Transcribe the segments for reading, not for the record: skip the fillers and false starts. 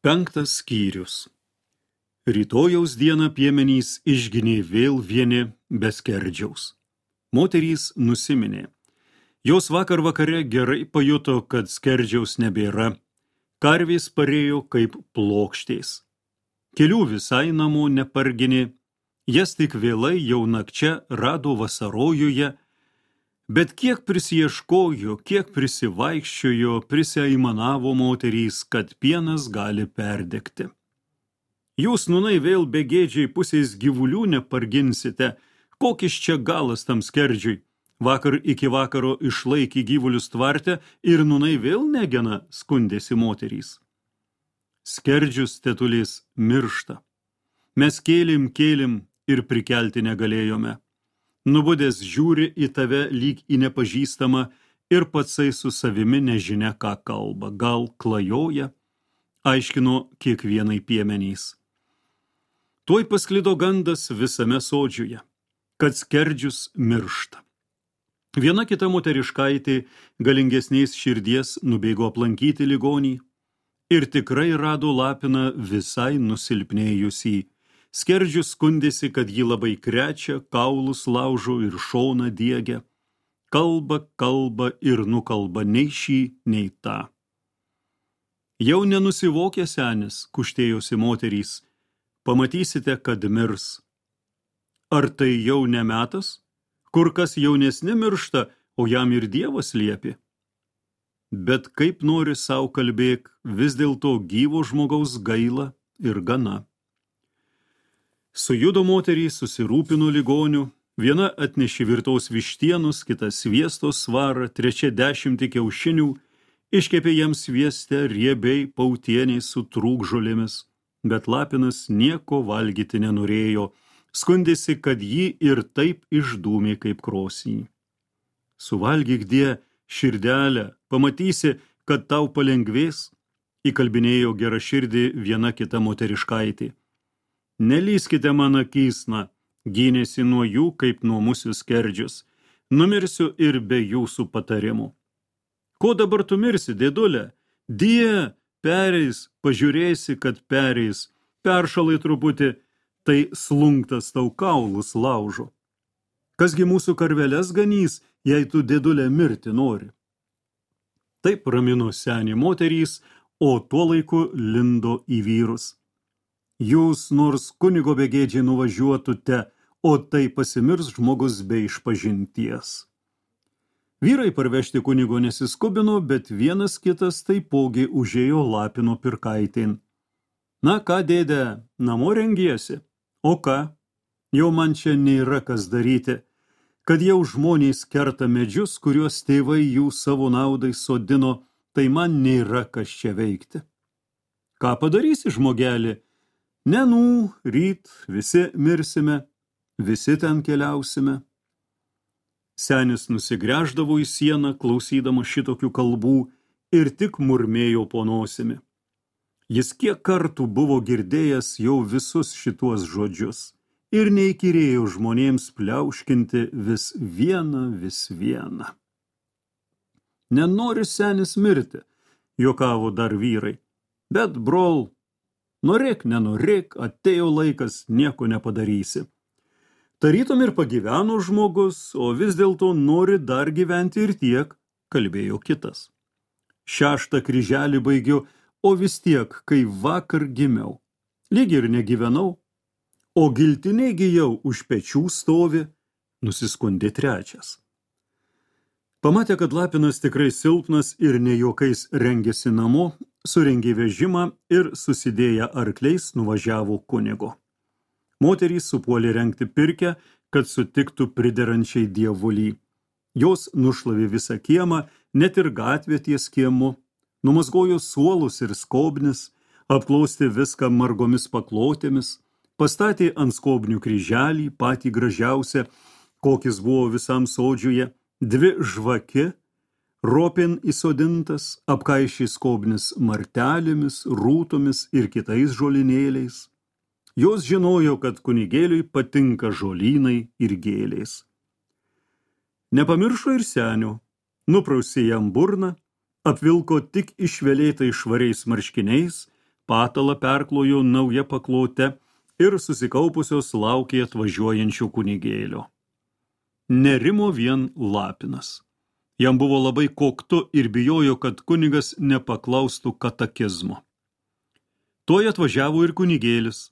Penktas skyrius. Rytojaus dieną piemenys išginė vėl vieni be skerdžiaus. Moterys nusiminė. Jos vakar vakare gerai pajuto, kad skerdžiaus nebėra. Karvės parėjo kaip plokštės. Kelių visai namo neparginė, jas tik vėlai jau nakčia rado vasarojuje, bet kiek prisieškojo, kiek prisivaikščiojo, prisiaimanavo moterys, kad pienas gali perdegti. Jūs, nūnai, vėl begėdžiai pusės gyvulių neparginsite, kokis čia galas tam skerdžiui. Vakar iki vakaro išlaikė gyvulius tvarte ir nūnai vėl negena, skundėsi moterys. Skerdžius tetulės miršta. Mes kėlim ir prikelti negalėjome. Nubudęs žiūri į tave lyg į nepažįstamą ir patsai su savimi nežinia, ką kalba. Gal klajoja, aiškino kiekvienai piemenys. Tuoj pasklido gandas visame sodžiuje, kad skerdžius miršta. Viena kita moteriškaitė galingesnės širdies nubėgo aplankyti ligonį ir tikrai rado lapiną visai nusilpnėjusį. Skerdžius skundėsi, kad jį labai krečia, kaulus laužo ir šoną diegia. Kalba ir nukalba nei šį, nei tą. Jau nenusivokė senis, kuštėjosi moterys. Pamatysite, kad mirs. Ar tai jau nemetas? Kur kas jaunesni miršta, o jam ir Dievas liepė. Bet kaip nori sau kalbėk, vis dėlto gyvo žmogaus gaila ir gana. Sujudo moterys, susirūpino ligonių, viena atnešė virtos vištienos, kita sviesto svarą, trečia 10 kiaušinių, iškepė jiems svieste riebiai pautieniai su trūkžolėmis, bet lapinas nieko valgyti nenorėjo, skundėsi, kad jį ir taip išdūmė kaip krosnį. Suvalgyk, die, širdelę, pamatysi, kad tau palengvės, įkalbinėjo gera širdį viena kita moteriškaitė. Nelyskite man akysna, gynėsi nuo jų, kaip nuo musių skerdžius. Numirsiu ir be jūsų patarimų. Ko dabar tu mirsi, dėdulė? Die, pereis, pažiūrėsi, kad pereis. Peršalai truputį, tai slunktas tau kaulus laužo. Kasgi mūsų karveles ganys, jei tu, dėdulė, mirti nori? Taip ramino senį moterys, o tuo laiku lindo į vyrus. Jūs nors kunigo begėdžiai nuvažiuotute, o tai pasimirs žmogus be išpažinties. Vyrai parvežti kunigo nesiskubino, bet vienas kitas taipogi užėjo lapino pirkaitėn. Na ką, dėde, namo rengiesi? O ką? Jau man čia nėra kas daryti, kad jau žmonės kerta medžius, kuriuos tėvai jų savo naudai sodino, tai man nėra kas čia veikti. Ką padarysi, žmogelį? Nenų, ryt visi mirsime, visi ten keliausime. Senis nusigręždavo į sieną, klausydama šitokių kalbų, ir tik murmėjo po nosimi. Jis kiek kartų buvo girdėjęs jau visus šituos žodžius ir neįkyrėjo žmonėms pliauškinti vis vieną. Nenori senis mirti, juokavo dar vyrai, bet brol, norėk, nenorėk, atėjo laikas, nieko nepadarysi. Tarytum ir pagyveno žmogus, o vis dėlto nori dar gyventi ir tiek, kalbėjo kitas. 6 kryželį baigiu, o vis tiek, kai vakar gimiau. Lyg ir negyvenau, o giltiniai gijau už pečių stovi, nusiskundė 3. Pamatė, kad lapinas tikrai silpnas ir ne juokais rengėsi namo, surengė vežimą ir susidėję arkliais nuvažiavo kunigo. Moterys supuolė rengti pirkę, kad sutiktų priderančiai dievulį. Jos nušlavė visą kiemą, net ir gatvę ties kiemu, numazgojo suolus ir skobnis, apklostė viską margomis paklotėmis, pastatė ant skobnių kryželį, patį gražiausią, kokis buvo visam sodžiuje, 2 žvaki, ropin įsodintas, apkaišė skobnis martelėmis, rūtomis ir kitais žolinėliais. Jos žinojo, kad kunigėliui patinka žolynai ir gėlės. Nepamiršo ir senio, nuprausė jam burną, apvilko tik išvelėtai švariais marškiniais, patalą perklojo nauja paklote ir susikaupusios laukė atvažiuojančio kunigėlio. Nerimo vien Lapinas. Jam buvo labai koktu ir bijojo, kad kunigas nepaklaustų katekizmo. Tuoj atvažiavo ir kunigėlis.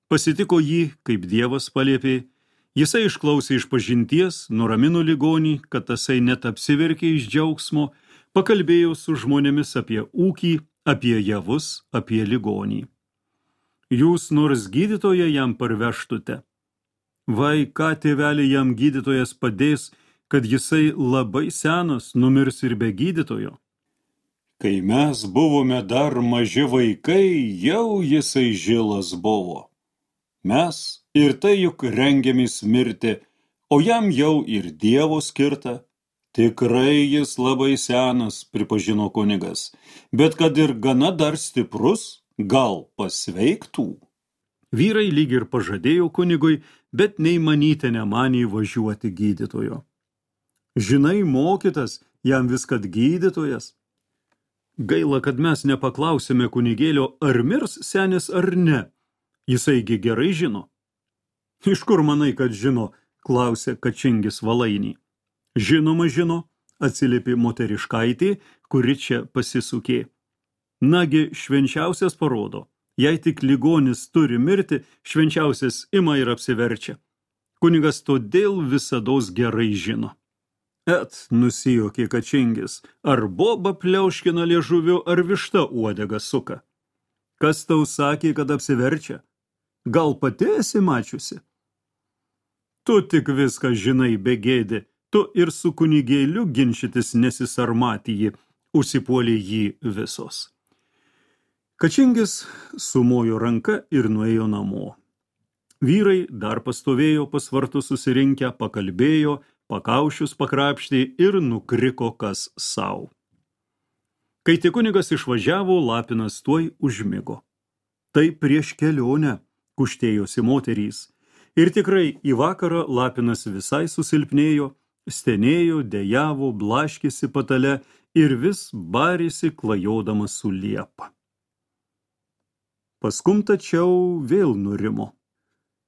Pasitiko jį, kaip Dievas paliepė. Jisai išklausė išpažinties, nuramino ligonį, kad tasai net apsiverkė iš džiaugsmo, pakalbėjo su žmonėmis apie ūkį, apie javus, apie ligonį. Jūs nors gydytoją jam parvežtute? Vai, ką tėvelį jam gydytojas padės, kad jisai labai senas, numirs ir be gydytojo? Kai mes buvome dar maži vaikai, jau jisai žilas buvo. Mes ir tai juk rengiamės mirti, o jam jau ir Dievo skirta. Tikrai jis labai senas, pripažino kunigas, bet kad ir gana dar stiprus, gal pasveiktų. Vyrai lyg ir pažadėjo kunigui, bet nei manyti nemanė važiuoti gydytojo. Žinai, mokytas, jam viskas gydytojas. Gaila, kad mes nepaklausėme kunigėlio, ar mirs senis ar ne. Jisaigi gerai žino. Iš kur manai, kad žino, klausė Kačingis Valainį. Žinoma žino, atsiliepė moteriškaitė, kuri čia pasisukė. Nagi, švenčiausias parodo, jei tik ligonis turi mirti, švenčiausias ima ir apsiverčia. Kunigas todėl visados gerai žino. Nusijuokė Kačingis, ar boba pliauškina liežuviu, ar višta uodegą suka. Kas tau sakė, kad apsiverčia? Gal pati esi mačiusi? Tu tik viską žinai, begėdi, tu ir su kunigėliu ginčytis nesisarmatyji, užsipuolė jį visos. Kačingis sumojo ranka ir nuėjo namo. Vyrai dar pastovėjo pas vartus susirinkę, pakalbėjo, pakaušius pakrapštė ir nukriko kas sau. Kai tik kunigas išvažiavo, Lapinas tuoj užmigo. Tai prieš kelionę, kuštėjosi moterys. Ir tikrai į vakarą Lapinas visai susilpnėjo, stenėjo, dejavo, blaškėsi patale ir vis barėsi klajodamas su liepa. Paskum tačiau vėl nurimo.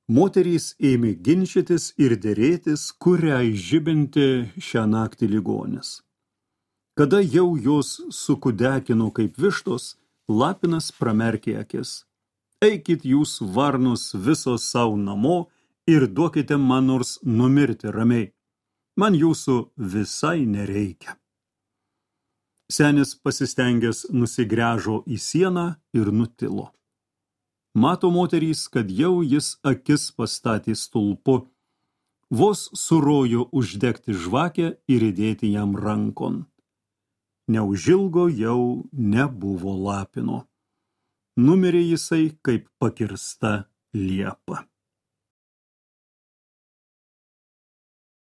Moterys ėmė ginčytis ir derėtis, kuriai žibinti šią naktį ligonis. Kada jau jos sukudekino kaip vištos, Lapinas pramerkė akis. Eikit jūs varnos visos savo namo ir duokite man nors numirti ramiai. Man jūsų visai nereikia. Senis pasistengęs nusigręžo į sieną ir nutilo. Mato moterys, kad jau jis akis pastatė stulpu. Vos surojo uždegti žvakę ir įdėti jam rankon. Neužilgo jau nebuvo Lapino. Numirė jisai kaip pakirsta liepa.